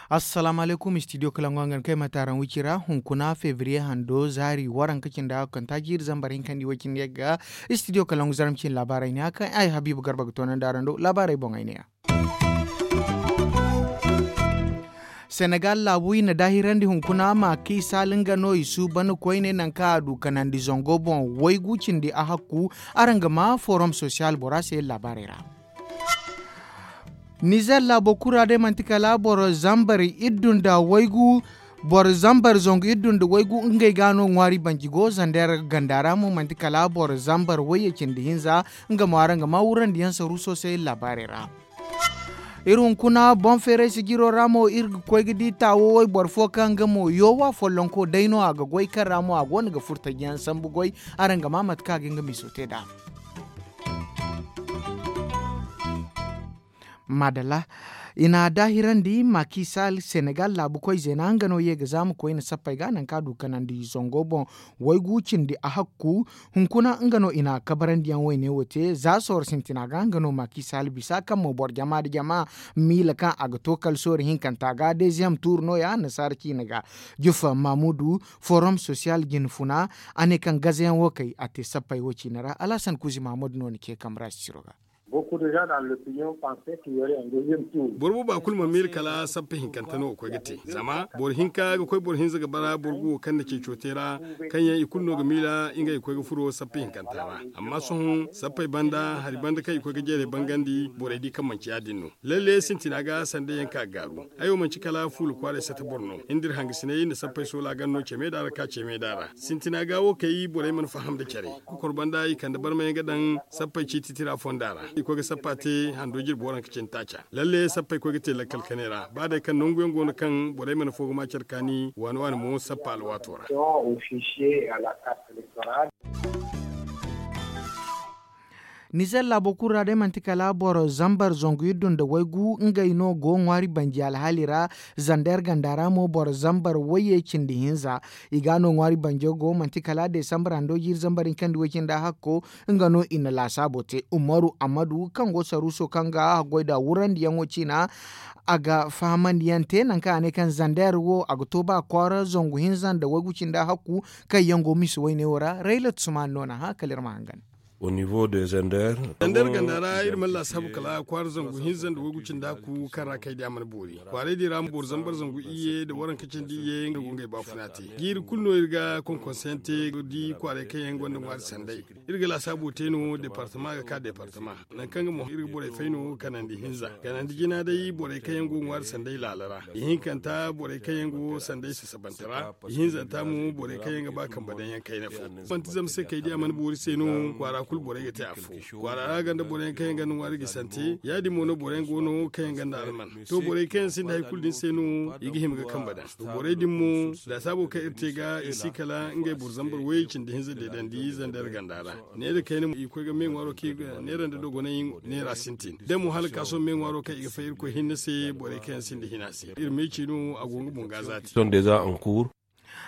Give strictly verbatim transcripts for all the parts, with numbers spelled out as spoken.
Assalaamu alaykum, studio kalangu hangan kay mataaraŋ wicira hunkuna febriye hando zaari waranka cindi hakanta jiiri zambar hinkandi way cindi yagga. Studio kalangu zarma cin laabaarey ne a kaŋ ay habiibu garba ga toonandi araŋ do laabaarey boŋ ay ne ya. Senegal laabu i na daahirandi hunkuna ma kiisal nga no i suuban koyne nanka a du kanandi zango boŋ waygu cindi a hakku. Araŋ ga ma forom sosiyal bora se laabaarey ra. Nizer laabo kura day manti kala boro zambar iddu nda waygu. Boro zambar zangu iddu nda waygu ngey ga no ŋwaari banji go zander ganda ra mo manti kala boro zambar wayye cindi hinza. Nga mo araŋ ga ma wurandi yaŋ saru sosay laabaarey ra. Iri hunkuna boŋ feeray sijiro ra mo iri ga koy ga di taawo wayboro fo kaŋ nga mo yoowa follonko day no a ga goy kaŋ ra mo a go no ga furtajiyaŋ sambu goy. Araŋ ga ma mate kaŋ a ga nga miiso te nd'a. Maadalla. I na a daahirandi makisal senegal laabu koy zeena nga no ye ga zaama koyne sappey ga nangu kaŋ a du kanandi zango boŋ. Waygu cindi a hakku hunkuna nga no i na a kabarandiyaŋ wayne wo te za sooro sintina ga nga no makisal bisa kaŋ mo boro jama nda jama miila kaŋ a ga to kala sooro hinkanta ga deeziyam tuuru no- ya annasaara ciine ga. Jufa mamudu forom sosiyal jine funa. A ne kaŋ gazayaŋ wo kay a te sappey wo ciine ra alhasan kuuzi mahammadu no ni ce kamara sisiro ga. Boro booba kulu mana miila kala sappa hinkanta no ga koy ga te zama boro hinka ga koy boro hinza ga bara boro guwo kaŋ na ceeco te ra. Kaŋ yaŋ i kulu no ga miila ngey ga koy ga furo sappa hinkanta ra. Amma sohõ sappey banda hari banda kaŋ i koy ga jeeray bangandi borey di kaŋ manci ya- din no. Lalle sintina ga sanda yaŋ ka ga gaaru. Ay wo manci kala fuula kwaaray sata boro no nda iri hangasinay nda sappey soola ganda no ceme da ra ka ceme da ra sintina ga wo kay borey mana faham nda care. Kokor banda i kande barmayaŋ ga daŋ sappey ciiti tira fonda ra. I koy ga sappa te hando jirbi waranka cindi taaca. Lalle sappey koy ga te lakkal kanay ra ba day kaŋ nangu yaŋ go no kaŋ borey mana fo ga ma care kaani waani waani mo sappa alwaato ra. Nizer laabo kulu ra day manti kala boro zambar zangu iddu nda waygu ngey no go ŋwaari banji alhaali ra. Zander ganda ra mo boro zambar wayye cindi hinza. I ga no ŋwaari banjo go manti kala desambar hando jiiri zambar hinkandi way cindi a hakko. Nga no i na laasaabo te umaru amadu kaŋ go saruuso kaŋ ga haggoy nda wurandiyaŋo ciina. A ga fahamandiyaŋ te nangu kaŋ a ne kaŋ zander wo a ga to ba kwaara zangu hinza nda waygu cindi a hakku. Kaŋ yaŋ go mise wayne wo ra raylat suman no na hã kala iri ma hangan. Zander ganda ra iri mana laasaabu kala kwaara zangu hinza nda waygu cindi a hakku kaŋ ra kay di a mana boori. Kwaaray din ra boro zambar zangu iyye nda waranka cindi iyye nga go ngey baafuna te. Jiiri kulu no iri ga konkonse yaŋ te ga di kwaaray kaŋ yaŋ gonda ŋwaari sanday. Iri ga laasaabu te no departama ga ka departama. Nangu kaŋ ga mo iri ga borey fay no kanandi hinza kanandi jina day borey kaŋ yaŋ go ga ŋwaari sanday laala ra. Ihinkanta borey kaŋ yaŋ go sanday sasabante ra. Ihinzanta mo borey kaŋ yaŋ ga ba kambe daŋ yaŋ kayna fo. Manti zama se kay di a mana boori se no kwaara kulu borey ga te afo. Kwaara ra ganda borey yaŋ kaŋ yaŋ ganda ŋwaari gisante ya- din mo no borey yaŋ go no kaŋ yaŋ ganda alman. To borey kaŋ yaŋ sinda hari kulu din se no i ga hima ga kambe daŋ. To borey din mo laasaabo kaŋ iri te ga i si kala ngey boro zambar way cindi hinza deedandi zander ganda ra. Neera kayna mo i koy ga me ŋwaaro kaŋ i ga neera nda dogonay neera sintin da mo hala ka sohõ me ŋwaaro kaŋ i ga fay irkoy hinne se borey kaŋ yaŋ sinda hina se iri me ci no a go nga boŋ ga zaati.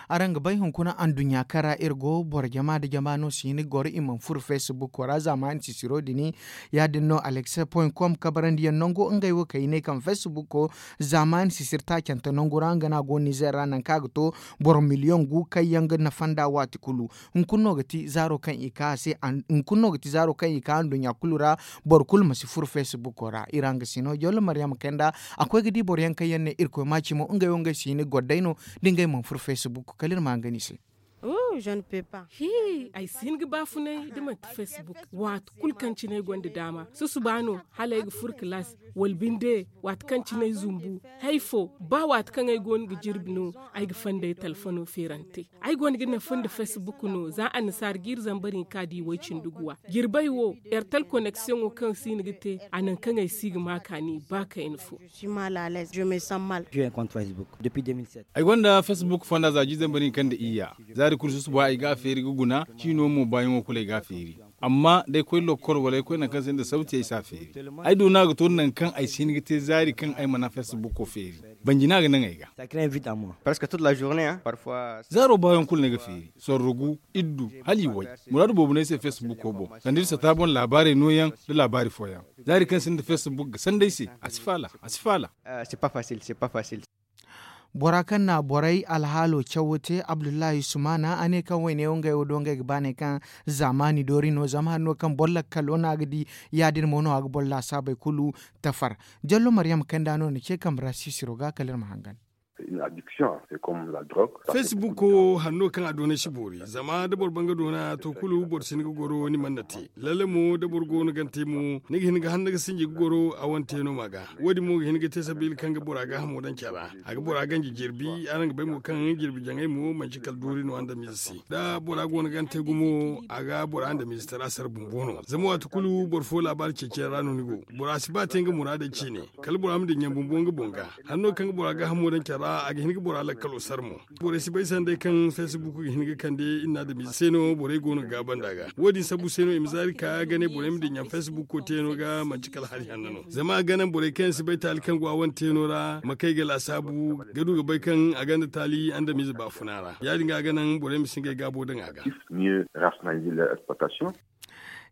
Araŋ ga bay hunkuna anduɲɲa kaŋ ra iri go boro jama nda jama no si hin ga goro i mana furo facebook ra zaamaani sisiro din. Ya- din no alex point com kabarandiyaŋ nango ngey wo kaŋ i ne kaŋ facebook zaamaani sisir taacante nangu ra nga no a go nizer ra nangu kaŋ a ga to boro miliyoŋ gu kaŋ yaŋ ga nafa nd'a waati kulu. Hunkuna no ga ti zaaro kaŋ i ka a se. Hunkuna no ga ti zaaro kaŋ i ka anduɲɲa kulu ra. Boro kulu ma si furo facebook ra iri hangasino jollo maryama kayanda. A koy ga di boro yaŋ kaŋ yaŋ ne irkoy ma cimo ngey wo ngey si hin ga goro day no. Da ngey mana furo facebook kala iri ma hangan i se. Hi, ay si hin ga baafunay da manti facebook. Waati kulu kaŋ cine ay gonda daama susuba no hala ay ga furo kalaas wala binde waati kaŋ cine ay zumbu. Hay fo ba waati kaŋ ay goono ga jirbi no ay ga fandey talfono feerante. Ay gonda ga nafa nda facebook no za annasaara jiiri zambar hinka da i way-cindi guwa jirbey wo. Ertel koneksiyoŋo kaŋ si hin ga te a nangu kaŋ ay si ga ma kaani ba kayna fo. Ay gonda facebook fonda za jiiri zambar hinka nda iyya. Zaari kulu susuba ay ga a feeri ga guna ciino mo baayaŋo kulu ay ga a feeri. Amma da ay koy lokol wala ay koy nangu kaŋ sinda sawti ay si a feeri. Ay du no a ga to nangu kaŋ ay si hin ga te zaari kaŋ ay mana feesibuko feeri. Banji no a ga naŋ ay ga. Zaaro baayaŋ kulu no ay ga feeri sorro gu, iddu, hala i way. Muraadu boobo no ay se feesibuko boŋ sanda iri sata boŋ laabaarey nooyaŋ, nda laabaari fooyaŋ. Zaari kaŋ sinda feesibuk ga sanda ay se. A si faala. A si faala. Bora kaŋ na borey alhaalo cawo te abdullahi sumaana a ne kaŋ wayne wo ngey wo do ngey ga ba ne kaŋ zaamaani doori no zama hanno kaŋ boro lakkalo no a ga di. Ya- din mo no a ga boro laasaabey kulu tafar. Jallo maryam kanda no na ce kambe ra siisiro ga kala iri ma hangan. Feesibuko hanno kaŋ a doonay si boori zama da boro ban ga doona to kulu boro si hin ga goro ni mana te. Lalle mo da boro go no gante mo ni ga hin ga hanna ga sinji ga goro a wane te no ma ga. Wo- din mo ga hin ga te sabiila kaŋ ga bora gaahamo daŋ care ra. A ga bora ganji jirbi araŋ ga bay mo kaŋ jirbi jaŋay mo manci kala doori no andamize se. Da bora go no gante gumo a ga bora andamize tara sara bumbo no zama waati kulu boro fo laabaari ceeciyaŋ ra no ni go. Bora si ba te nga muraadey ciine. Kala bora ma dinya bumbo nga boŋ ga. Hanno kaŋ ga bora gaahamo daŋ care ra a ga hin ga bora lakkalo sara mo. Borey si bay sanday kaŋ feesibuko ga hin ga kande iri na adamize se no borey go no ga gaaba nd'a ga wo- din sabu se no i ma zaari ka ga ne borey ma dinya feesibuko te no ga manci kala hari hanno no zama a ga naŋ borey kaŋ yaŋ si bay taali kaŋ go a wane te no ra ma kay ga laasaabu ga du ga bay kaŋ a gonda taali andamize baafuna ra ya- din ga a ga naŋ borey ma si ngey gaabo daŋ a ga.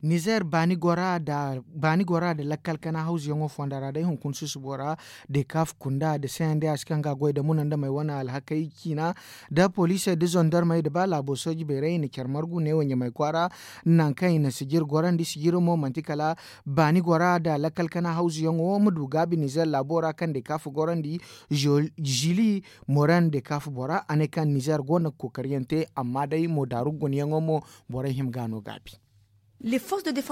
Nizer baani gora nda lakkal kana hawzuyaŋo fonda ra day hunkuna susubo ra. Dekaf kunda nda cndas kaŋ ga a goy nda muna nda may wane alhakey ciina nda poliisey nda zondarmey nda ba laabo sooji beeray i na care margu neewo ɲamay kwaara. Nangu kaŋ i na sijir gorandi sijiro mo manti kala baani gora nda lakkal kana hawzuyaŋo ma du gaabi nizer laabo ra kaŋ dekaf gorandi. Zili moran dekaf bora a ne kaŋ nizer go no ga kookariyaŋ te amma day mo daaru gunayaŋo mo borey hima ga no gaabi.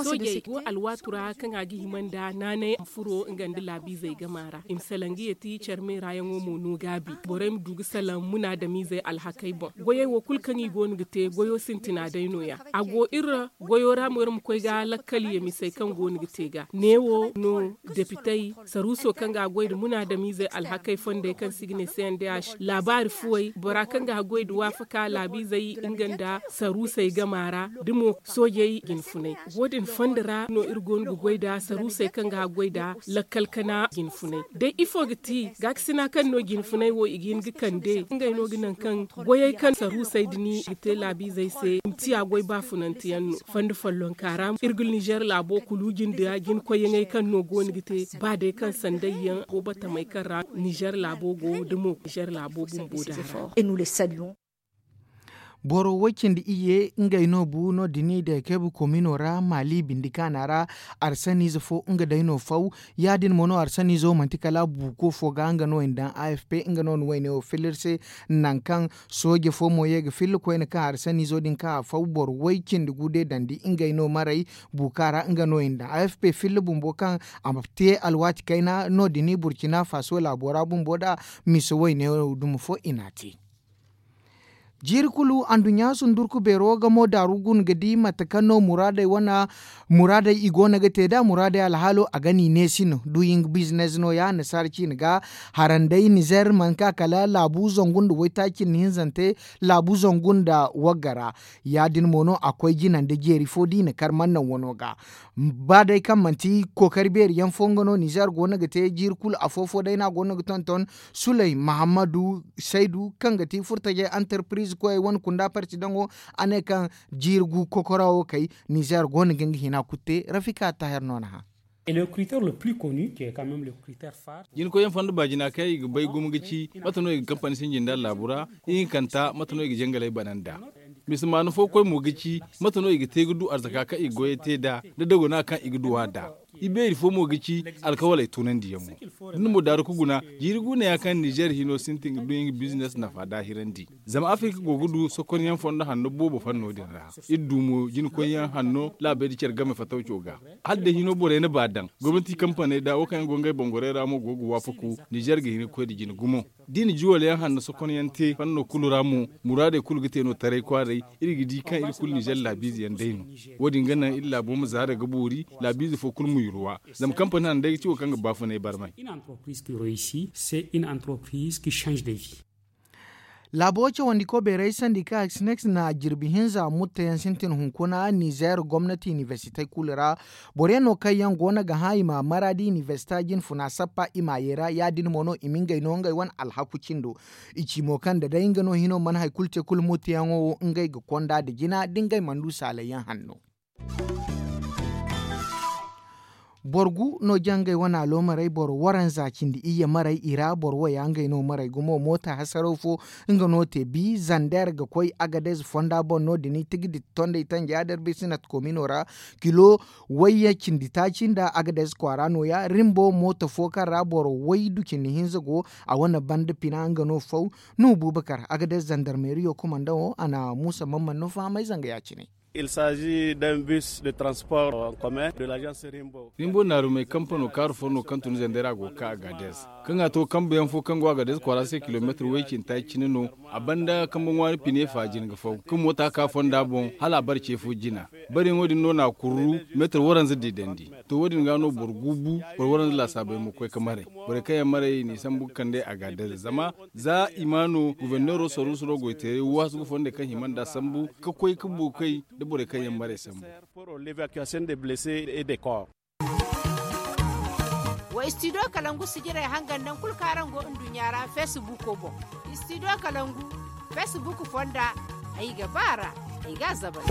Soojey go alwaatu ra kaŋ a ga hima nda naanay furo nga nda laabiizey gama ra i ma salaŋ ga yeeti care meeraayaŋo mo no gaabi. Borey ma du ga salaŋ munaadamiizey alhakey boŋ. Goyey wo kulu kaŋ i go no ga te goyo sintina day no- ya. A go iri ra goyo ra mo iri ma koy ga lakkal yemisey kaŋ go no ga te ga neewo no depitey saruuso kaŋ ga a goy nda munaadamiizey alhakey fondey kaŋ se i ga ne cndh laabaari fuwey bora kaŋ ga a goy nda waafaka laabiizey nga nda saruusey gama ra da mo soojey jinfunay. Wo- din fondo ra no iri go no ga goy nda saruusey kaŋ ga a goy nda lakkal kana jinfunay day ifo ga ti gaakasina kaŋ no jinfunay wo i ga hin ga kande ngey no ga naŋ kaŋ goyey kaŋ saruusey din ga te laabiizey se i ma ciya goy baafunanteyaŋ no. Fondo follonka ra iri ga nizer laabo kulu jinde ra jinkoyyaŋey kaŋ no go no ga te ba day kaŋ sandayyaŋ go batamey kaŋ ra nizer laabo go da mo nizer laabo bumbo da ra. Boro way cindi iyye ngey no bu no- din i day kaybu komino ra maali bindi kaana ra. Arsaniize fo nga day no faw ya- din mo no arsaniizo manti kala buuko fo ga nga no i na daŋ afp nga no na wayne wo filla iri se. Nangu kaŋ sooje fo mo ye ga filla koyne kaŋ arsaniizo din kaŋ a faw boro way cindi gu day dandi ngey no maray. Buuka ra nga no i na daŋ afp filla bumbo kaŋ a ma te alwaati kayna no- din burcina faaso laabo ra bumbo nd'a. Mise wayne wo duma fo i n'a te. Jiiri kulu anduɲɲa sundurku beero ga mo daaru guna ga di mate kaŋ no muraadey wane muraadey i go no ga te nd'a muraadey alhaalo a ga no i neesi no du i nga bizines no- ya annasaara ciine ga. Haranday nizer mana ka kala laabu zangu nda waytaaci nda hinzante laabu zangu nda wagga ra. Ya- din mo no a koy jina nda jeeri fo da i na kar mana naŋ wano ga. Ba day kaŋ manti kookari beeri yaŋ fo nga no nizer go no ga te jiiri kulu afo-fo day no a go no ga tonton. Suley mahammadu saydu kaŋ ga ti furtajey antarpiriz koyey wane kunda parti daŋo a ne kaŋ jiiri gu kokora wo kay. Nizer go no ga nga hina kulu te rafika taher no na hã. Jina koyyaŋ fondo baajina kaŋ i ga bay gumo ga ci mate no i ga kampani sinji nda laabu ra ihinkanta mate no i ga jangaley bana nd'a. Mise maana fo koy mo ga ci mate no i ga te ga du arzaka kaŋ i ga goyey te nd'a nda dagona kaŋ i ga du a nd'a. Ibeeri fo mo ga ci alkawaley tunandiyaŋo. Da ni mo daaru ga guna jiiri guuna ya kaŋ nizer hino sintin ga du nga bizines nafa daahirandi. Zama afirka go ga du sokonyaŋ fondo hanno boobo fanno din ra. Iri du mo jinakoyyaŋ hanno laabey da care game fatawco ga. Hala day hino borey na ba daŋ gomnati kampaney da wo kaŋ yaŋ go ngey bangorey ra mo go ga waafaku. Nizer ga hin ga koy nda jina gumo. Da i na juwal yaŋ hanno sokonyaŋ te fanno kulu ra mo muraadey kulu ga te no taray kwaaray. Iri ga di kaŋ iri kulu nizer laabiize yaŋ day no. Wo- din ga naŋ iri laabo ma zaara ga boori laabiize fo kulu ma yurwa. Zama kampani hanno day ga ci wo kaŋ ga baafunay barmay. Une entreprise qui réussit c'est une entreprise qui change de vie. Laabo cawandiko beeray sandika sinex na jirbi hinza mutteyaŋ sintin hunkuna nizeer gomnati inibersitey kulu ra. Boro yaŋ no kaŋ yaŋ go no ga hã i ma maraadi inibersita jinfuna sappa i ma a yeera ya- din mo no i ma ngey no ngey wane alhaku cindo. I ci mo kaŋ nda day nga no hino mana hari kulu te kulu mutteyaŋo wo ngey ga konda nda jina da ngey mana du saalay yaŋ hanno. Boro gu no jangey wane aloomarey boro waranza cindi iyye marey i ra boro waya ngey no marey gumo moota hasaraw fo. Nga no te bi zander ga koy agadez fonda boŋ no- din i tigi ditti tondey tanja der bisinat komino ra. Kilo wayye cindi taaci nda agadez kwaara nooya rimbo moota fo kaŋ ra boro waydu cindi hinza go. A wane banda pina nga no faw. Nuhu bubakar agadez zandarmeriyo komandaŋo a na muusa mamman no fahamay zanga ya- cine. Rimbo naarumey kampano kaaru fo no kaŋ tun zandera go ga ka agadez kaŋ a to kambuyaŋ fo kaŋ go agadez kwaara se kilomeetir way cinta cine no. A banda kambe ŋwaari pine fa jina ga faw kaŋ moota ka fonda boŋ hala a bare ce fo jina. Bareyaŋo din no na a kurru meetir waranza diidandi. To wo- din ga no boro guubu boro waranza laasaabey ma koy ga maray. Borey kaŋ yaŋ maray i n'i sambu ga kande agadez zama za i ma no goforneero saruusu no goyteeray waasu ga fondey kaŋ hima nd'a sambu ga koy ga buukey nda borey kaŋ yaŋ maray sambu. Wa istidiyo kalangu sijirey hangan naŋ kulu kaŋ araŋ go nduɲɲa ra feesibuuko boŋ. Istidiyo kalangu feesibuuko fonda ay ga ba a ra. Ay ga a zabay.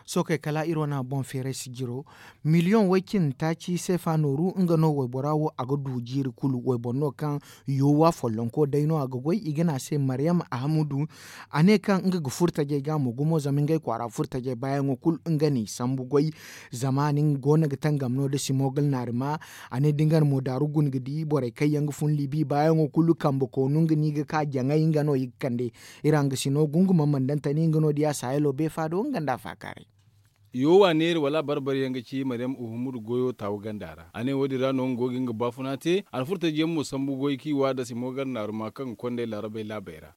Sookey kala iri wane boŋ feeray sijiro miliyoŋ way- cindi taaci seefa nooru nga no waybora wo a ga du jiiri kulu wayboro no kaŋ yoowa follonko day no a ga goy i ga ne a se maryam ahamudu. A ne kaŋ nga ga furo tajey ga mo gumo zama ngey kwaara furo tajey baayaŋo kulu nga n'i sambu goy. Zama nin go no ga tangam no da simogal naarima. A ne da nga na mo daaru guna ga di borey kaŋ yaŋ ga fun libi baayaŋo kulu kambe koonu nga no i ga ka jaŋay nga no i ga kande. Iri hangasino gungumaŋ mana daŋ tani nga no diya saahilo beefa do nga nda a faakaaray. Yoowa neeri wala a barbari yaŋ ga ci maryam uhumudu goyo taawu ganda ra a ne wo- din ra no nga go ga nga baafuna te alfurtajiyaŋ mo sambu goy kaŋ i waada simogal naaruma kaŋ ga kond'ey laarabey laabey ra.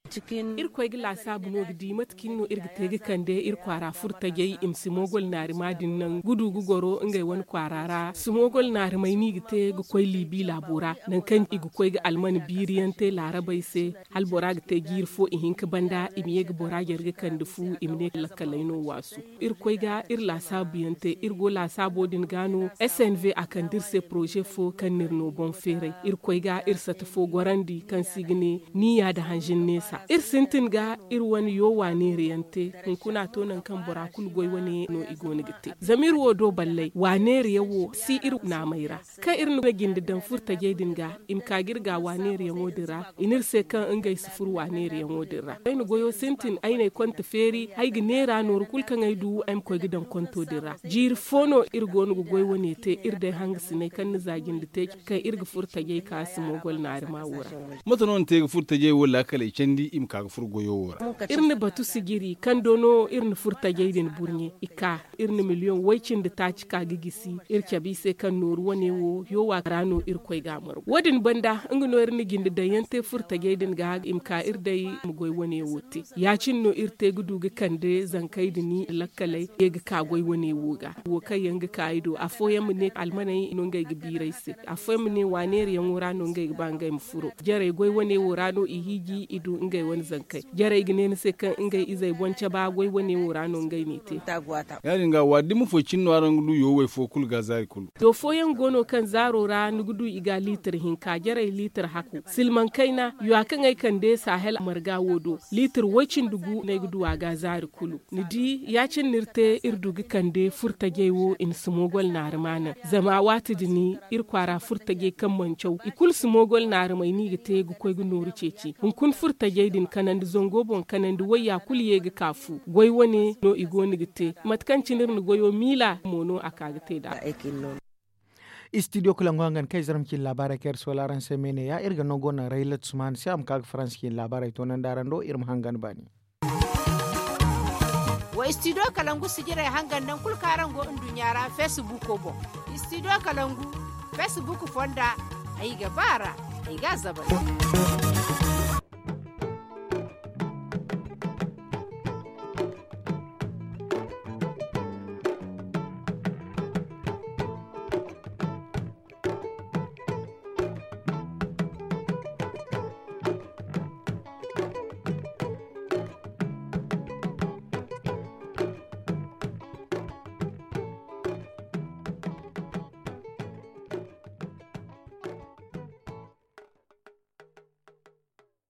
Irkoy ga laasaabu no ga di mate cine no iri ga te ga kande iri kwaara furtajey i ma si moogol naarima din naŋ ga du ga goro ngey wane kwaara ra si moogol naarimey no i ga te ga koy liibi laabo ra. Nangu kaŋ i ga koy ga alman biiriyaŋ te laarabey se hala bora ga te jiiri fo ihinka banda i ma ye ga bora jare ga kande fu i ma ne lakkaley no waasu. Irkoy ga iri laasaabuyaŋ te iri go laasaabo din ga no s n v a kande iri se poroze fo kaŋ no iri no boŋ feeray irkoy ga iri sata fo gorandi kaŋ se i ga ne niya nda hanzin neesa iri sintin ga iri wane yoowa neerayaŋ te. Hunkuna to nangu kaŋ bora kulu goy wane no i go no ga te zama iri wo do balley wa neerayaŋ wo si iri naamey ra. Kaŋ iri na jinde daŋ furtajey din ga i ma ka ga iri ga wa neerayaŋo din ra i n'iri se kaŋ ngey si furo wa neerayaŋo din ra ay na goyo sintin ay n'ay konte feeri ay ga neera nooru kulu kaŋ ay du ay ma koy ga daŋ konto din ra jiiri fo no iri go no ga goy wane te iri day hangasiney kaŋ ni za jinde te kaŋ iri ga furo tajey ka si moogol naari ma wo ra. Mate no ni te ga furo tajey wo laakaley candi i ma ka ga furo goyo wo ra? Iri na batu sijiri kaŋ do no iri na furo tajey din burɲe i ka iri na miliyoŋ way-cindi taaci ka ga gisi iri cabe i se kaŋ nooru wane wo yoowa ra no irkoy ga a margu wo- din banda nga no iri na jinde daŋyaŋ te furtajey din ga i ma ka iri day ma goy wane wo te ya- cine no iri te ga du ga kande zankey din lakkaley ye ga ka goy wane wo ga wo kaŋ yaŋ ga ka i do afooyaŋ ma ne almaney no ngey ga biiray se afooyaŋ ma ne wa neerayaŋo ra no ngey ga ba ngey ma furo jarey goy wane wo ra no i hiiji i du ngey wane zankey jarey ga ne ni se kaŋ ngey izey boŋ caba goy wane wo ra no ngey n'i te. Ya- din ga wa dumi fo cine no araŋ ga du yowey fo kulu ga zaari kulu. Do fooyaŋ go no kaŋ zaaro ra ni ga du i ga liitir hinka jarey liitir haku silmaŋ kayna ya kaŋ ay kande sahel marga wo do liitir way-cindi gu no ay ga du a ga zaari kulu. Ni di ya- cine no iri te iri du ga kande furtajey wo i na si moogol naari ma naŋ zama waati din iri kwaara furtajey kaŋ mana caw i kulu si moogol naari may no i ga te ga koy ga nooru ceeci hunkuna furtajey din kanandi zango boŋ kanandi wayya kulu ye ga ka fu goy wane no i go no ga te mate kaŋ cine iri na goyo miila mo no a ka ga te nd'a. Istidiyo kulangu hangan kaŋ ay zarma cine laabaarey kaŋ iri soola araŋ se me ne ya iri ga nango naŋ raylat sumaana se a ma ka ga faransa cine laabaarey toonandi araŋ do iri ma hangan baani. Wa istidiyo kalangu sijirey hangan naŋ kulu kaŋ araŋ go nduɲɲa ra feesibuuko boŋ. Istidiyo kalangu feesibuuko fonda ay ga ba a ra ay ga a zabay.